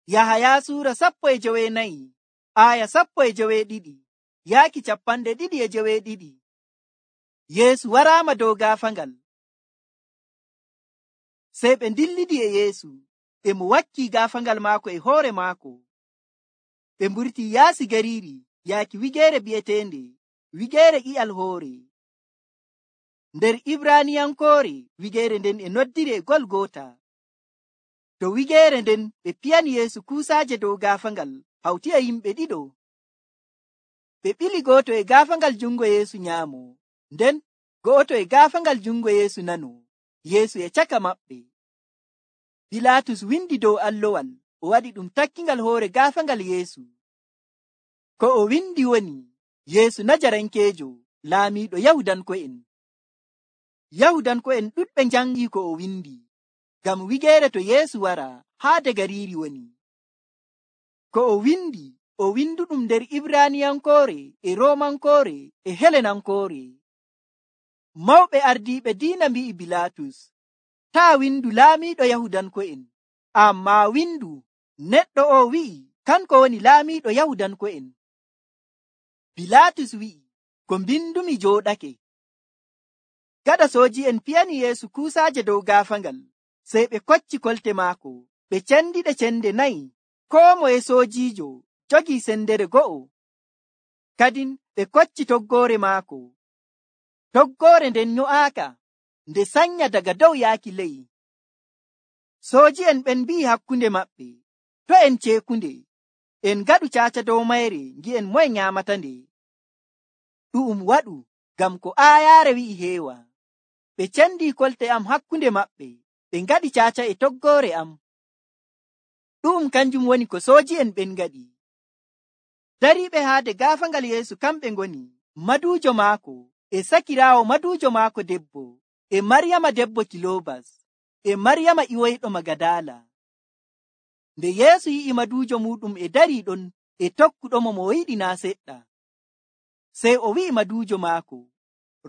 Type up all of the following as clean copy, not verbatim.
Yahaya suura 14 aya 12 yaaki 22. Yeesu waraama dow gaafangal. Sey ɓe dillidi e Yeesu, e mo wakkii gaafangal maako e hoore maako. Ɓe mburtii yaasi gariiri yaaki wigeere bi'eteende wigeere i'al hoore. Nder Ibraaniyankoore wigeere nden e noddiri e Golgota. To wigeere nden ɓe piyani Yeesu kuusaaje dow gaafangal hawti e yimɓe ɗiɗo. Ɓe ɓili gooto e gaafangal jungo Yeesu nyaamo, nden go'oto e gaafangal jungo Yeesu nano, Yeesu e caka maɓɓe. Bilaatus windi dow allowal, o waɗi ɗum takkingal hoore gaafangal Yeesu. Ko o windi woni, Yeesu Najarankeejo, laamiiɗo Yahudanko'en. Yahudanko'en ɗuɗɓe njangii ko o windi, ngam wigeere to Yeesu wara haade gariiri woni. Ko o winduɗum nder Ibraaniyankoore e Roomankoore e Helenankoore. Mawɓe ardiiɓe diina mbi'i Bilaatus, taa windu laamiiɗo Yahudanko'en, ammaa windu neɗɗo o wi'i kanko woni laamiiɗo Yahudanko'en. Bilaatus wi'i, ko mbindumi jooɗake. Gaɗa sooji'en piyani Yeesu kuusaaje dow gaafangal, sey ɓe kocci kolte maako, ɓe cendiɗe cende 4, koo moye soojiijo jogii sendere go'o. Kadin ɓe kocci toggoore maako. Toggoore nden nyo'aaka, nde sanya daga dow yaaki ley. Sooji'en ɓen mbi'i hakkunde maɓɓe, to en ceekunde, en gaɗu caaca dow mayre ngi'en moye nyaamata nde. Ɗu'um waɗu, ngam ko aayaare wi'i heewa. Ɓe cendii kolte am hakkunde maɓɓe, ɓe ngaɗi caaca e toggoore am. Ɗu'um kanjum woni ko sooji'en ɓen ngaɗi. Dariiɓe haade gaafangal Yeesu kamɓe ngoni maduujo maako, e sakiraawo maduujo maako debbo, e Maryama debbo Kiloobas, e Maryama iwoyɗo Magadala. Nde Yeesu yi'i maduujo muɗum e darii ɗon e tokkuɗomo mo yiɗi naa seɗɗa, sey o wi'i maduujo maako,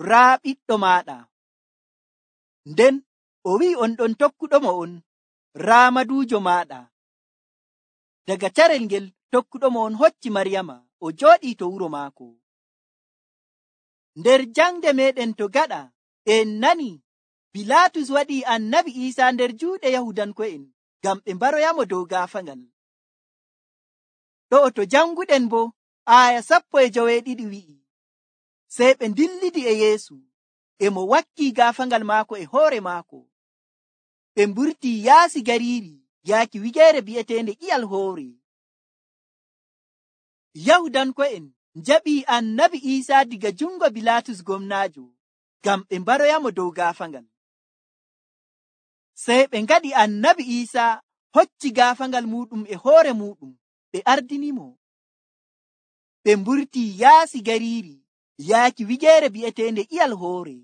raa ɓiɗɗo maaɗa. Nden o wi'i on ɗon tokkuɗomo on, raa maduujo maaɗa. Daga carel ngel tokkuɗomo on hocci Maryama, o jooɗii to wuro maako. Nder jangde meɗen to gaɗa, en nani Bilaatus waɗii annabi Iisaa nder juuɗe Yahudanko'en ngam ɓe mbaroyamo dow gaafangal. Ɗo'o to janguɗen bo, aya 12 wi'i, sey ɓe dillidi e Yeesu, e mo wakkii gaafangal maako e hoore maako. Ɓe mburtii yaasi gariiri yaaki wigeere bi'eteende i'al hoore. Yahudanko'en njaɓii annabi Iisaa diga jungo Bilaatus gomnaajo ngam ɓe mbaroyamo dow gaafangal. Sey ɓe ngaɗi annabi Iisaa hocci gaafangal muɗum e hoore muɗum, ɓe ardinimo. Ɓe mburtii yaasi gariiri yaaki wigeere bi'eteende i'al hoore.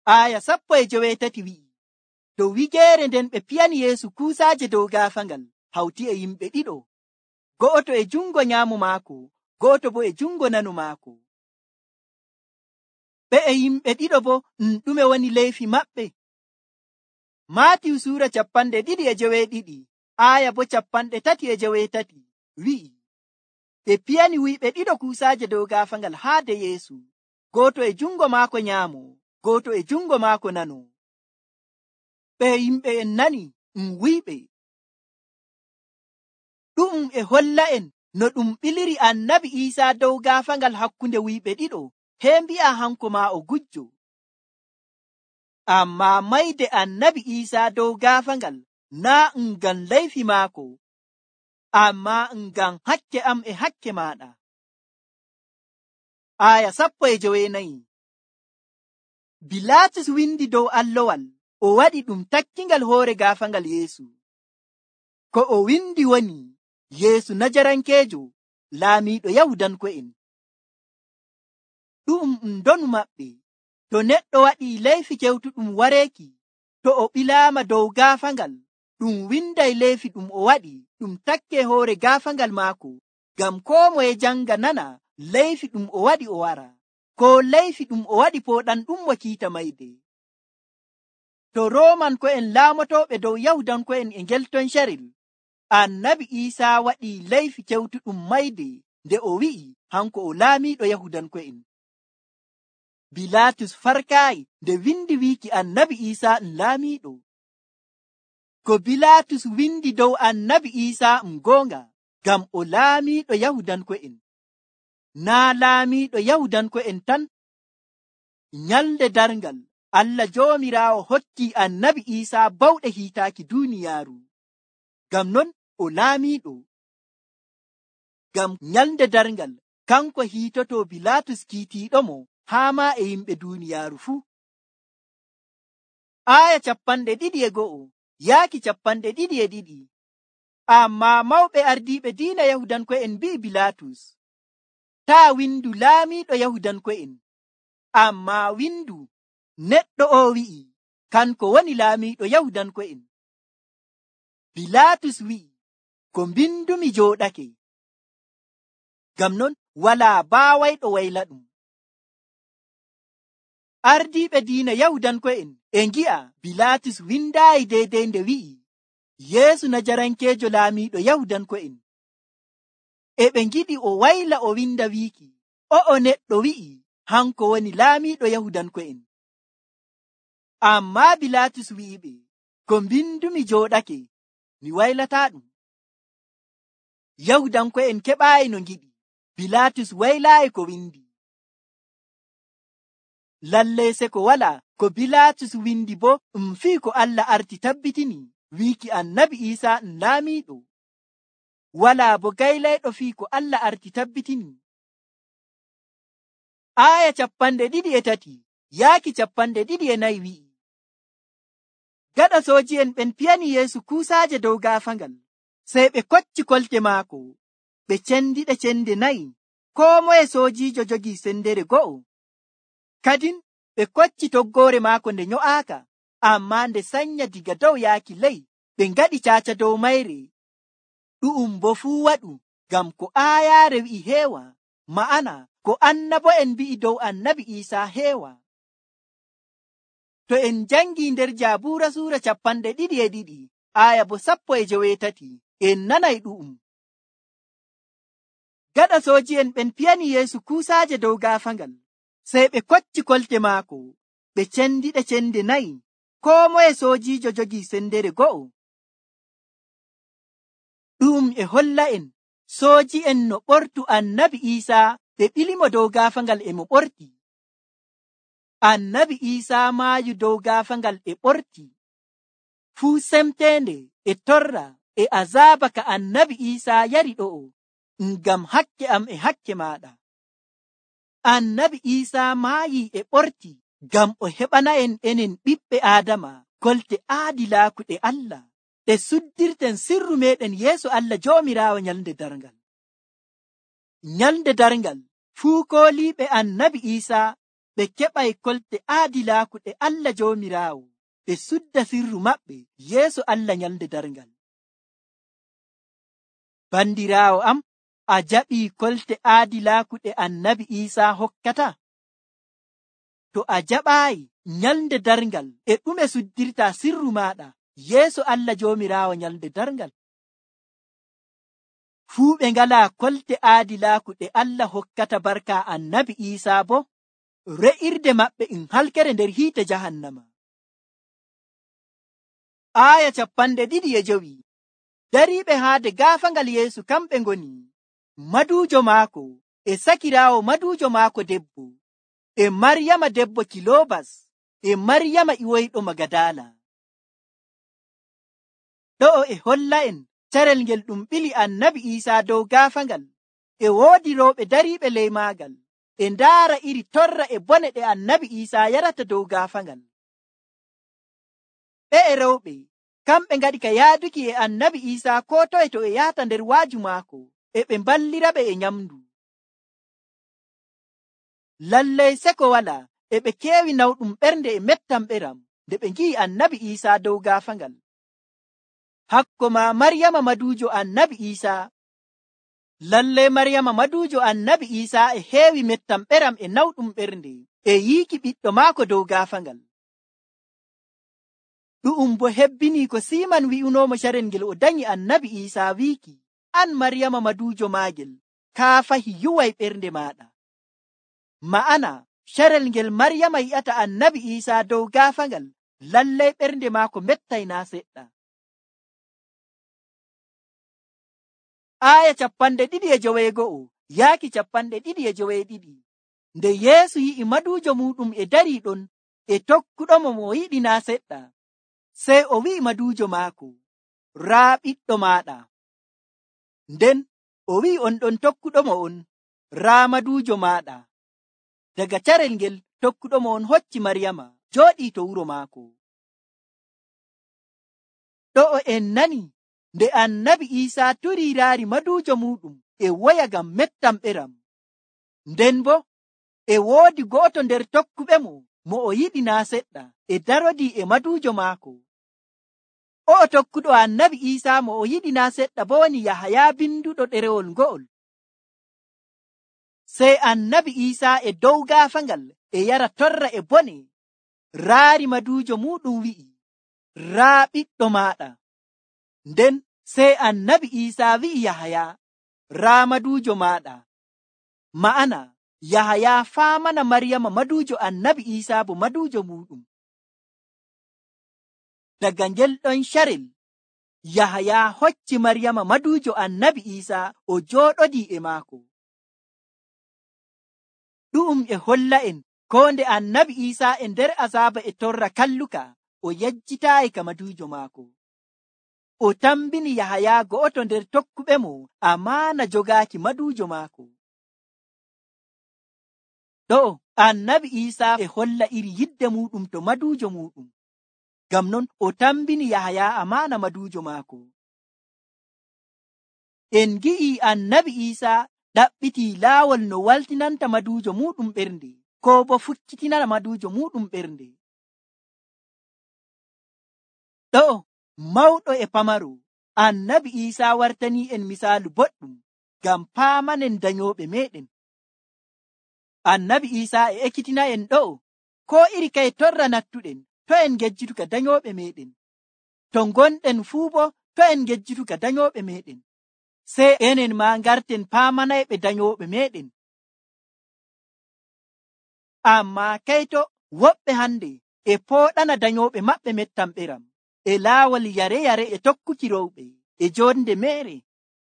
Aya 18 wi'i, dow wigeere nden ɓe piyani Yeesu kuusaaje dow gaafangal hawti e yimɓe ɗiɗo, go'oto e jungo nyaamo maako, go'oto bo e jungo nano maako. Ɓe e yimɓe ɗiɗo bo ɗume woni leyfi maɓɓe? Maatiyu suura 22 aya bo 33 wi'i, ɓe piyani wuyɓe ɗiɗo kuusaaje dow gaafangal haade Yeesu, gooto e jungo maako nyaamo, gooto e jungo maako nano. Ɓe yimɓe en nani wuyɓe. Ɗum e holla en no ɗum ɓiliri annabi Iisaa dow gaafangal hakkunde wuyɓe ɗiɗo, hee mbi'a hanko maa o gujjo. Ammaa mayde annabi Iisaa dow gaafangal naa ngam leyfi maako, ammaa ngam hakke am e hakke maaɗa. Aya 14. Bilaatus windi dow allowal, o waɗi ɗum takkingal hoore gaafangal Yeesu. Ko o windi woni, Yeesu Najarankeejo, laamiiɗo Yahudanko'en. Ɗum ndonu maɓɓe, to neɗɗo waɗii leyfi kewtuɗum wareeki, to o ɓilaama dow gaafangal, ɗum winday leyfi ɗum o waɗi ɗum takke hoore gaafangal maako, ngam koo moye janga nana leyfi ɗum o waɗi o wara, ko leyfi ɗum o waɗi pooɗan ɗum mo kiita mayde. To Roomanko'en laamotooɓe dow Yahudanko'en e ngelton carel, annabi Iisaa waɗii leyfi kewtuɗum mayde nde o wi'i hanko o laamiiɗo Yahudanko'en. Bilaatus farkaayi nde windi wiiki annabi Iisaa laamiiɗo. Ko Bilaatus windi dow annabi Iisaa goonga, ngam o laamiiɗo Yahudanko'en. Naa laamiiɗo Yahudanko'en tan. Nyalnde darngal Allah Joomiraawo hokkii annabi Iisaa bawɗe hiitaaki duuniyaaru. Ngam non o laamiiɗo. Ngam nyalnde darngal kanko hiitoto Bilaatus kiitiiɗomo haa maa e yimɓe duuniyaaru fuu. Aaya 21 yaaki 22. Ammaa mawɓe ardiiɓe diina Yahudanko'en mbi'i Bilaatus, taa windu laamiiɗo Yahudanko'en, ammaa windu neɗɗo o wi'i kanko woni laamiiɗo Yahudanko'en. Bilaatus wi'i, ko mbindumi jooɗake. Ngam non walaa baawayɗo wayla ɗum. Ardiiɓe diina Yahudanko'en e ngi'a Bilaatus windaayi deydey nde wi'i Yeesu Najarankeejo laamiiɗo Yahudanko'en. E ɓe ngiɗi o wayla o winda wiiki o'o neɗɗo wi'i hanko woni laamiiɗo Yahudanko'en. Ammaa Bilaatus wi'iɓe, ko mbindumi jooɗake, mi waylataa ɗum. Yahudanko'en keɓaayi no ngiɗi. Bilaatus waylaayi ko windi. Lallay se ko walaa ko Bilaatus windi bo fii ko Allah arti tabbitini wiiki annabi Iisaa laamiiɗo. Walaa bo gaylayɗo fii ko Allah arti tabbitini. Aaya 23 yaaki 24 wi'i, gaɗa sooji'en ɓen piyani Yeesu kuusaaje dow gaafangal, sey ɓe kocci kolte maako, ɓe cendiɗe cende 4, koo moye soojiijo jogii sendere go'o. Kadin ɓe kocci toggoore maako nde nyo'aaka, ammaa nde sanya diga dow yaaki ley, ɓe ngaɗi caaca dow mayre. Ɗu'um bo fuu waɗu ngam ko aayaare wi'i heewa, ma'ana ko annabo'en mbi'i dow annabi Iisaa heewa. To en jangii nder Jaabuura suura 22 aaya bo 18 en nanay ɗu'um. Gaɗa sooji'en ɓen piyani Yeesu kuusaaje dow gaafangal, sey ɓe kocci kolte maako, ɓe cendiɗe cende 4, koo moye soojiijo jogii sendere go'o. Ɗum e holla en sooji'en no ɓortu annabi Iisaa ɓe ɓilimo dow gaafangal e mo ɓorti. Annabi Iisaa maayu dow gaafangal e ɓorti. Fuu semteende e torra e azaaba ka annabi Iisaa yari ɗo'o ngam hakke am e hakke maaɗa. Annabi Iisaa maayi e ɓorti ngam o heɓana enen ɓiɓɓe Aadama kolte aadilaaku ɗe Allah ɗe suddirten sirru meɗen yeeso Allah Joomiraawo nyalnde darngal. Nyalnde darngal fuu kooliiɓe annabi Iisaa ɓe keɓay kolte aadilaaku ɗe Allah Joomiraawo ɓe sudda sirru maɓɓe yeeso Allah nyalnde darngal. Bandiraawo am, a jaɓii kolte aadilaaku ɗe annabi Iisaa hokkata? To a jaɓaayi nyalnde darngal e ɗume suddirta sirru maaɗa yeeso Allah Joomiraawo nyalnde darngal? Fuu ɓe ngalaa kolte aadilaaku ɗe Allah hokkata barka annabi Iisaa bo re'irde maɓɓe halkere nder hiite jahannama. Aaya 25 dariiɓe haade gaafangal Yeesu kamɓe ngoni maduujo maako e sakiraawo maduujo maako debbo, e Maryama debbo Kiloobas, e Maryama iwoyɗo Magadala. Ɗo'o e holla en carel ngel ɗum ɓili annabi Iisaa dow gaafangal, e woodi rewɓe dariiɓe ley maagal, e ndaara iri torra e bone ɗe annabi Iisaa yarata dow gaafangal. Ɓe e rewɓe kamɓe ngaɗi ka yaaduki e annabi Iisaa koo toye to e yahata nder waaju maako, e ɓe mballiraɓe e nyamdu. Lallay seko walaa e ɓe keewi nawɗum ɓernde e mettam ɓeram nde ɓe ngi'i annabi Iisaa dow gaafangal. Hakko ma Maryama maduujo annabi Iisaa. Lallay Maryama maduujo annabi Iisaa e heewi mettam ɓeram e nawɗum ɓernde e yiiki ɓiɗɗo maako dow gaafangal. ɗu'um bo hebbini ko Siman wi'unomo carel ngel o danyi annabi Isaa wiiki, an Maryama maduujo maagel, kaa fahi yuway ɓernde maaɗa. Ma'ana carel ngel Maryama yi'ata annabi Isaa dow gaafangal, lallay ɓernde maako mettay naa seɗɗa. Aya 2:9 yaaki 2:22. Nde Yeesu yi'i maduujo muɗum e darii ɗon e tokkuɗomo mo o yiɗi naa seɗɗa, sey o wi'i maduujo maako, raa ɓiɗɗo maaɗa. Nden o wi'i on ɗon tokkuɗomo on, raa maduujo maaɗa. Daga carel ngel tokkuɗomo on hocci Maryama jooɗii to wuro maako. Ɗo'o en nani nde annabi Isaa turii raari maduujo muɗum e woya ngam mettam ɓeram. Nden bo e woodi go'oto nder tokkuɓemo mo o yiɗi naa seɗɗa e darodii e maduujo maako. O'o tokkuɗo annabi Isaa mo o yiɗi naa seɗɗa bo woni Yahaya binduɗo ɗerewol ngo'ol. Sey annabi Isaa e dow gaafangal e yara torra e bone raari maduujo muɗum wi'i, raa ɓiɗɗo maaɗa. Nden sey annabi Isaa wi'i Yahaya, raa maduujo maaɗa. Ma'ana Yahaya faamana Maryama maduujo annabi Isaa bo maduujo muɗum. Daga ngel ɗon carel Yahaya hocci Maryama maduujo annabi Isaa o jooɗodii e maako. Ɗu'um e holla en ko nde annabi Isaa e nder azaaba e torra kalluka o yejjitaayi ka maduujo maako. O tambini Yahaya go'oto nder tokkuɓemo amaana jogaaki maduujo maako. Ɗo annabi Isaa e holla iri yidde muɗum to maduujo muɗum. Ngam non o tambini Yahaya amaana maduujo maako. En gi'i annabi Isaa ɗaɓɓitii laawol no waltinanta maduujo muɗum ɓernde, ko bo fukkitina maduujo muɗum ɓernde. Ɗo mawɗo e pamaro, annabi Isaa wartanii en misaalu boɗɗum ngam paamanen danyooɓe meɗen. Annabi Isaa e ekkitina en ɗo ko iri kay torra nattuɗen, to en ngejjitu ka danyooɓe meɗen. To gonɗen fuu bo to en ngejjitu ka danyooɓe meɗen, sey enen ma ngarten paamanayɓe danyooɓe meɗen. Amma kayto woɓɓe hande e pooɗana danyooɓe maɓɓe mettam ɓeram e laawol yare-yare e tokkuki rowɓe e jonde meere,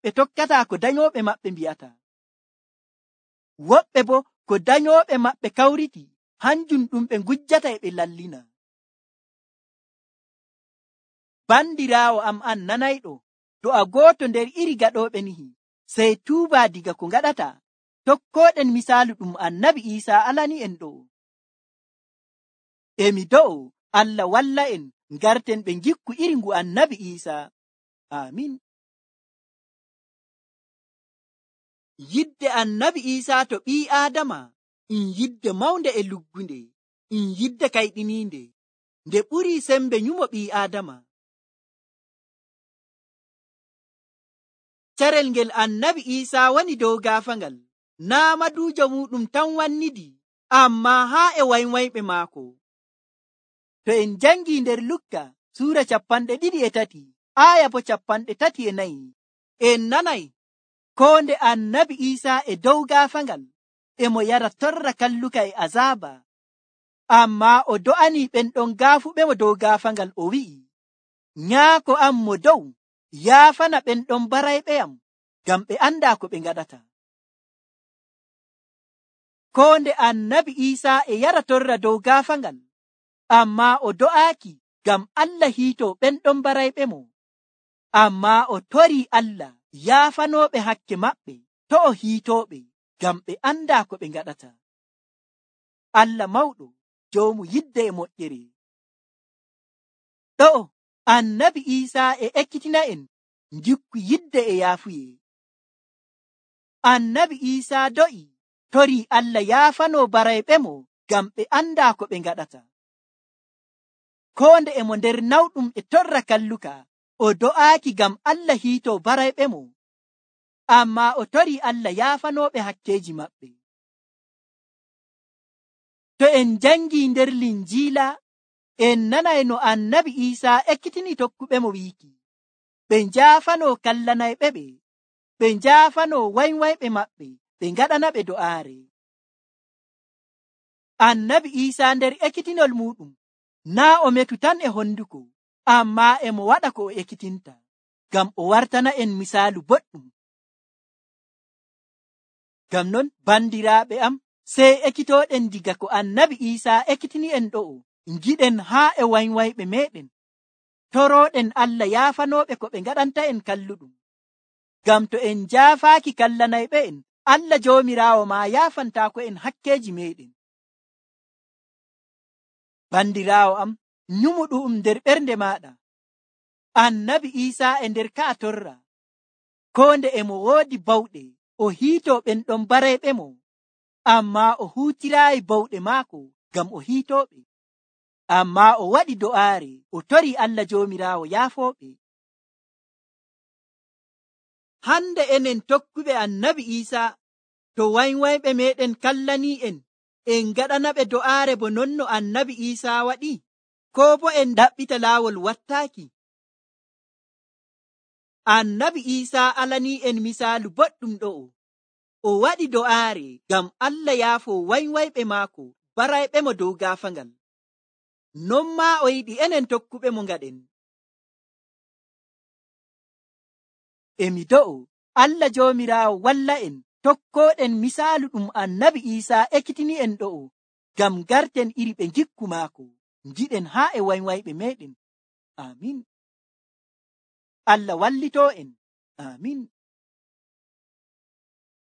ɓe tokkataa ko danyooɓe maɓɓe mbi'ata. Woɓɓe bo ko danyooɓe maɓɓe kawriti hanjum ɗum ɓe ngujjata e ɓe lallina. Bandiraawo am an nanayɗo, to a gooto nder iri gaɗooɓe nihi, sey tuuba diga ko ngaɗata, tokkooɗen misaalu ɗum annabi Isaa alani en ɗo. Emi do'o Allah walla en ngarten ɓe ngikku iri ngu annabi Isaa. Amin. Yidde annabi Isaa to ɓii Aadama yidde mawnde e luggunde, yidde kayɗiniinde, nde ɓurii sembe nyumo ɓii Aadama. Carel ngel annabi Isaa woni dow gaafangal, naa maduujo muɗum tan wannidi, ammaa haa e waywayɓe maako. To en jangii nder Lukka suura 23 aya bo 34, en nanay ko nde annabi Isaa e dow gaafangal emo yara torra kalluka e azaaba, ammaa o do'anii ɓen ɗon gaafuɓemo dow gaafangal, o wi'i, nyaako am mo dow, yaafana ɓen ɗon barayɓeyam, ngam ɓe andaa ko ɓe ngaɗata. Ko nde annabi Isaa e yara torra dow gaafangal, ammaa o do'aaki ngam Allah hiito ɓen ɗon barayɓemo, ammaa o torii Allah yaafanooɓe hakke maɓɓe to o hiitooɓe, ngam ɓe andaa ko ɓe ngaɗata. Allah mawɗo, joomu yidde e moƴƴere. Ɗo annabi Isaa e ekkitina en ngikku yidde e yaafuye. Annabi Isaa do'i torii Allah yaafanoo barayɓemo ngam ɓe andaa ko ɓe ngaɗata. Ko nde emo nder nawɗum e torra kalluka, o do'aaki ngam Allah hiitoo barayɓemo, ammaa o torii Allah yaafanooɓe hakkeeji maɓɓe. To en jangii nder Linjiila en nanay no annabi Iisaa ekkitini tokkuɓe mo wiiki ɓe njaafano kallanayɓe ɓe njaafano waywayɓe maɓɓe ɓe ngaɗana ɓe do'aare. Annabi Iisaa nder ekkitinol muɗum naa o metu tan e honduko, ammaa e mo waɗa ko o ekkitinta, ngam o wartana en misaalu boɗɗum. Ngam non bandiraaɓe am, sey ekkitooɗen diga ko annabi Iisaa ekkitini en ɗo'o, ngiɗen haa e waywayɓe meɗen, torooɗen Allah yaafanooɓe ko ɓe ngaɗanta en kalluɗum. Ngam to en njaafaaki kallanayɓe en, Allah Joomiraawo maa yaafantaako en hakkeeji meɗen. Bandiraawo am, nyumu ɗu'um nder ɓernde maaɗa. Annabi Iisaa e nder ka'a torra, koo nde e mo woodi bawɗe, o hiitoo ɓen ɗon barayɓe mo, ammaa o huutiraayi bawɗe maako ngam o hiitooɓe. Ammaa o waɗi do'aare, o torii Allah Joomiraawo yaafooɓe. Hande enen tokkuɓe annabi Iisaa, to waywayɓe meɗen kallanii en ngaɗana ɓe do'aare bo non no annabi Iisaa waɗi, koo bo en ɗaɓɓita laawol wattaaki? Annabi Iisaa alanii en misaalu boɗɗum ɗo'o. O waɗi do'aare ngam Allah yaafoo waywayɓe maako barayɓe mo dow gaafaangal. Non maa o yiɗi enen tokkuɓe mo ngaɗen. Emi do'o Allah Joomiraawo walla en tokkooɗen misaalu ɗum annabi Iisaa ekkitini en ɗo'o, ngam garten iri ɓe ngikku maako, ngiɗen haa e waywayɓe meɗen. Amin. Allah wallitoo en. Amin.